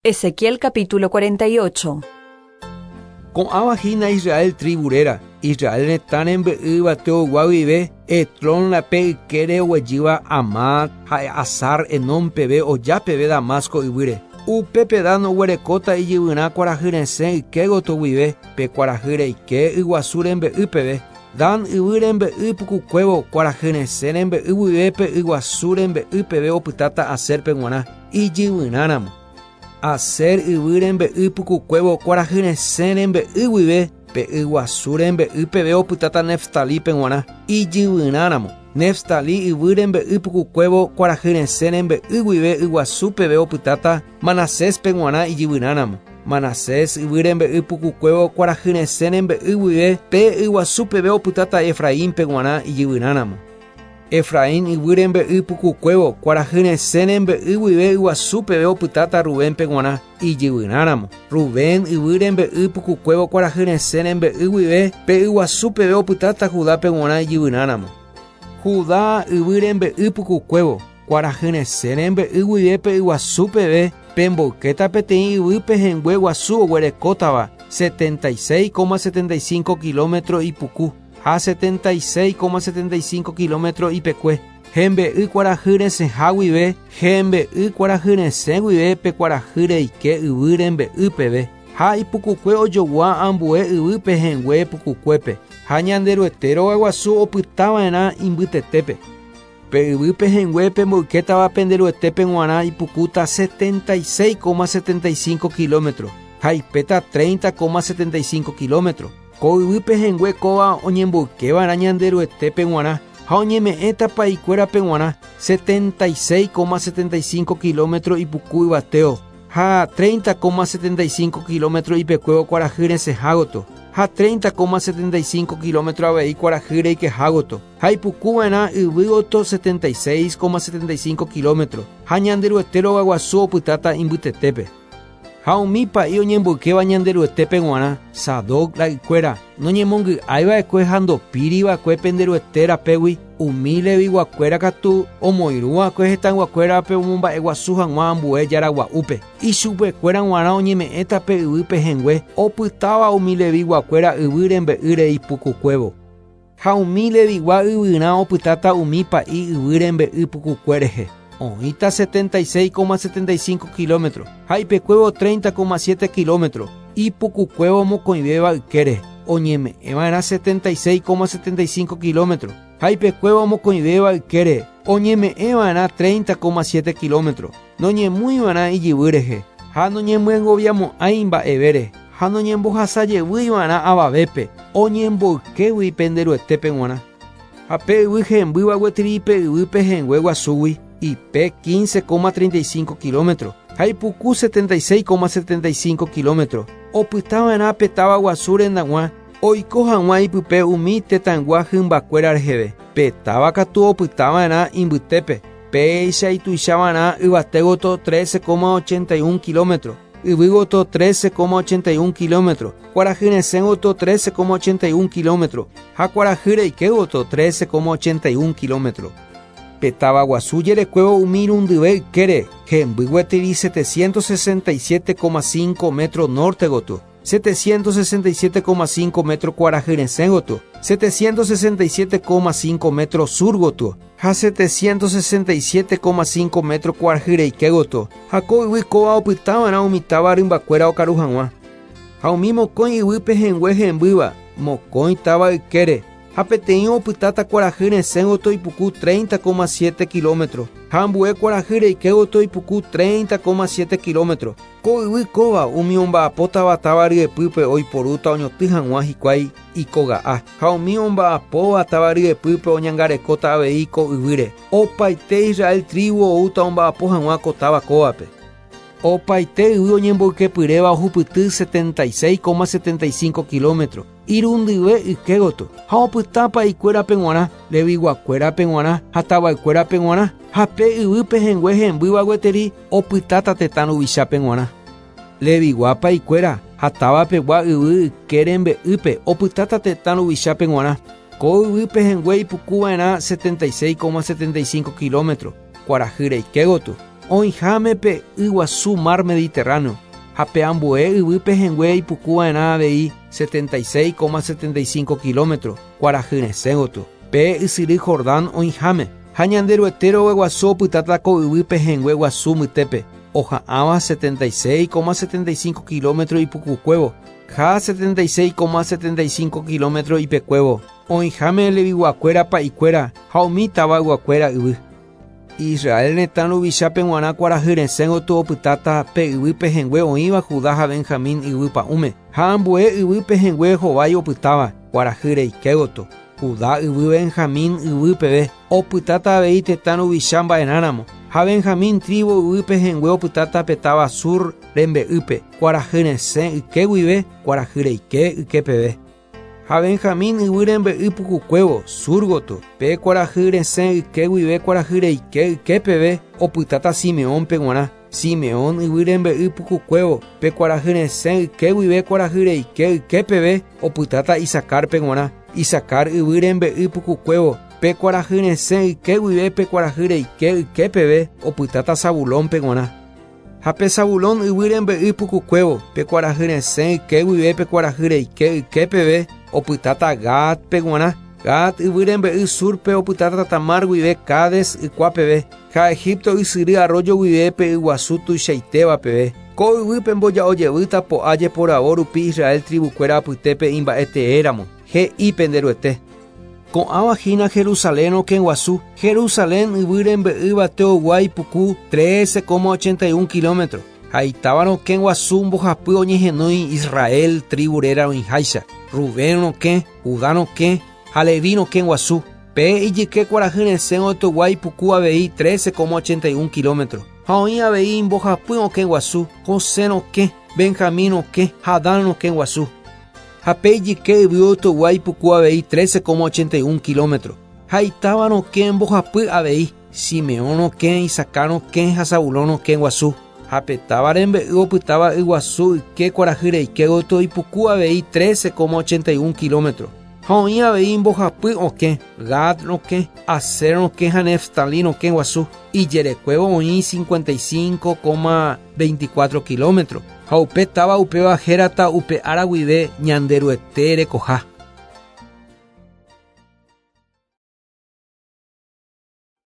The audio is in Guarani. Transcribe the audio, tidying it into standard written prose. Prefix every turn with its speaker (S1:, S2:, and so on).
S1: Ezequiel capítulo 48.
S2: Ko'ãva hína Israel trívu réra, Israel retã rembe'y yvateogua guive, Hetlón rape ykére oguejýva Hamat ha Hazar-Enón peve oja peve Damasco yvýre. Upépe Dan oguerekóta ijyvyrã kuarahy resẽ yke gotyo guive pe kuarahy reike yguasu rembe'y peve. Dan yvy rembe'y pukukuévo kuarahy resẽ rembe'y guive pe yguasu rembe'y peve opytáta Aser-pe g̃uarã ijyvyrã ramo. Aser yvy rembe'y pukukuévo kuarahy resẽ rembe'y guive pe yguasu rembe'y peve opytáta Neftalípe g̃uarã ijyvyrã ramo. Neftalí yvy rembe'y pukukuévo kuarahy resẽ rembe'y guive yguasu peve opytáta Manaséspe g̃uarã ijyvyrã ramo. Manasés yvy rembe'y pukukuévo kuarahy resẽ rembe'y guive pe yguasu peve opytáta Efraínpe g̃uarã ijyvyrã ramo. Efraín yvy rembe'y pukukuévo, kuarahy resẽ rembe'y guive yguasu peve opytáta Rubénpe g̃uarã ijyvyrã ramo. Rubén yvy rembe'y pukukuévo kuarahy resẽ rembe'y guive pe yguasu peve opytáta Judápe g̃uarã ijyvyrã ramo. Judá yvy rembe'y pukukuévo, kuarahy resẽ rembe'y guive pe yguasu peve pemboykéta peteĩ yvy pehẽngue guasu oguerekótava 76,75 kilómetro ipuku. Ha 76,75 kilómetro ipekue, hembe'y kuarahy resẽha guive, hembe'y kuarahy resẽ guive pe kuarahy reike yvy rembe'y peve, ha ipukukue ojogua ambue yvy pehẽngue pukukuépe, ha Ñanderuete rogaguasu opytava'erã imbytetépe. Pe yvy pehẽngue pemboykétava pende Ruetépe g̃uarã ipukúta 76,75 kilómetro ha ipéta 30,75 kilómetro. Ko yvy pehẽngue kóva oñemboykeva'erã Ñanderuetépe g̃uarã ha oñeme'ẽta pa'ikuérape g̃uarã 76,75 kilómetro ipuku yvateo ha 30,75 kilómetro ipekuévo kuarahy resẽha gotyo ha 30,75 kilómetro avei kuarahy reikeha gotyo ha ipukuva'erã yvy gotyo 76,75 kilómetro ha Ñanderuete rogaguasu opytáta imbytetépe. Ha umi pa'i oñemboykéva Ñanderuetépe g̃uarã, Sadoc ra'ykuéra, noñemongy'aiva'ekue ha ndopíriva'ekue pende Ruete rapégui, umi Leviguakuéra katu omoirũva'ekue hetãyguakuérape omomba'eguasu hag̃ua ambue jára gua'úpe. Ichupekuéra g̃uarã oñeme'ẽta pe yvy pehẽngue opytáva umi Leviguakuéra yvy rembe'ýre ipukukuévo. Ha umi Levigua yvyrã opytáta umi pa'i yvy rembe'y pukukue rehe, oĩta 76,75 kilómetro ha ipekuévo 30,7 kilómetro, ipukukuévo mokõivéva ykére, oñeme'ẽva'erã 76,75 kilómetro ha ipekuévo mokõivéva ykére, oñeme'ẽva'erã 30,7 kilómetro, noñemúiva'erã ijyvy rehe, ha noñemyengoviamo'ãi mba'evére. Ha noñembohasa jevýi va'erã avavépe, oñemboykégui pende Ruetépe g̃uarã. Ha pe yvy hembýva gueteri pe yvy pehẽngue guasúgui, ipe 15,35 kilómetro, ha ipuku 76,75 kilómetro, opyta va'erã pe táva guasu rendag̃ua, oiko hag̃ua ipype umi tetãygua hymbakuéra reheve. Pe táva katu opyta va'erã imbytépe, péicha ituicha va'erã yvate gotyo 13,81 kilómetro. Yvy gotyo 13,81 kilómetro, kuarahy resẽ gotyo 13,81 kilómetro ha kuarahy reike gotyo 13,81 kilómetro. Pe táva guasu jerekuévo umi irundyve ykére, hemby gueteri 767,5 metro norte gotyo, 767,5 metro kuarahy resẽ gotyo, 767,5 metro sur gotyo ha 767,5 metro kuarahy reike gotyo, ha ko yvy kóva opytava'erã umi táva rymbakuéra okaru hag̃ua. Ha umi mokõi yvy pehẽngue hembýva, mokõi táva ykére, ha peteĩ opytáta kuarahy resẽ gotyo ipuku 30,7 kilómetro, ha ambue kuarahy reike gotyo ipuku 30,7 kilómetro. Ko yvy kóva umi omba'apótava táva ryepýpe oiporúta oñotỹ hag̃ua hikuái ikoga'a, ha umi omba'apóva táva ryepýpe oñangarekóta avei ko yvýre. Opaite Israel trívu oúta omba'apo hag̃ua ko táva kóvape. Opaite yvy oñemboykepyréva ohupyty 76,75 kilómetro, irundyve yke gotyo, ha opyta pa'ikuérape g̃uarã, leviguakuérape g̃uarã ha tavaykuérape g̃uarã, ha pe yvy pehẽngue hembýva gueteri opytáta tetã ruvichápe g̃uarã. Levigua pa'ikuéra ha táva pegua yvy yke rembe'ýpe opytáta tetã ruvichápe g̃uarã. Ko yvy pehẽngue ipukuva'erã 76,75 kilómetro, kuarahy reike gotyo. Oĩháme pe yguasu Mar Mediterráneo, ha pe ambue yvy pehẽngue ipukuva'erã avei 76,75 kilómetro kuarahy resẽ gotyo, pe ysyry Jordán oĩháme. Ha Ñanderuete rogaguasu opytáta ko yvy pehẽngue guasu mbytépe, oha'ãva 76,75 kilómetro ipukukuévo ha 76,75 kilómetro ipekuévo, oĩháme Leviguakuéra pa'ikuéra ha umi tavayguakuéra yvy. Israel retã ruvichápe g̃uarã kuarahy resẽ gotyo opytáta pe yvy pehẽngue oĩva Judá ha Benjamín yvy pa'ũme, ha ambue yvy pehẽngue hovái opytáva kuarahy reike gotyo, Judá yvy Benjamín yvy peve, opytáta avei tetã ruvicha mba'erãramo, ha Benjamín trívu yvy pehẽngue opytáta pe táva Sur rembe'ýpe, kuarahy resẽ yke guive kuarahy reike yke peve. Ha Benjamín yvy rembe'y pukukuévo, sur gotyo, pe kuarahy resẽ yke guive kuarahy reike yke peve, opytáta Simeónpe g̃uarã. Simeón yvy rembe'y pukukuévo, pe kuarahy resẽ yke guive kuarahy reike yke peve, opytáta Isacárpe g̃uarã. Isacar yvy rembe'y pukukuévo, pe kuarahy resẽ yke guive pe kuarahy reike yke peve, opytáta Zabulónpe g̃uarã. Ha pe Zabulón yvy rembe'y pukukuévo, pe kuarahy resẽ yke guive pe kuarahy reike yke peve, opytáta Gádpe g̃uarã. Gad yvy rembe'y súrpe opytáta Tamar guive Cades ykua peve, ha Egipto ysyry arroyo guive pe yguasu tuichaitéva peve. Ko yvy pemboja'o jevýta po'a jeporavo rupi Israel tribukuéra apytépe imba'e teéramo, he'i pende Ruete. Ko'ãva hína Jerusalén rokẽ guasu, Jerusalén yvy rembe'y yvateogua ipuku 13,81 kilómetro, ha itáva rokẽ guasu mbohapy oñehenói Israel trívu réra oĩháicha, Rubén rokẽ, Judá rokẽ ha Leví rokẽ guasu. Pe ijyke kuarahy resẽ otyogua ipuku avei 13,81 kilómetro, ha oĩ avei mbohapy okẽ guasu, José rokẽ, Benjamín rokẽ ha Dan rokẽ guasu. Ha pe ijyke yvy otyogua ipuku avei 13,81 kilómetro, ha itáva rokẽ mbohapy avei, Simeón rokẽ, Isacar rokẽ ha Zabulón rokẽ guasu. Ha pe táva rembe'y opytáva yguasu yke kuarahy reike gotyo ipuku avei 13,81 kilómetro. Ha oĩ avei mbohapy okẽ, Gad rokẽ, Aser rokẽ ha Neftalí rokẽ guasu. Ijerekuévo oĩ 55,24 kilómetro, ha upe táva upéva hérata upe ára guive Ñanderuete rekoha.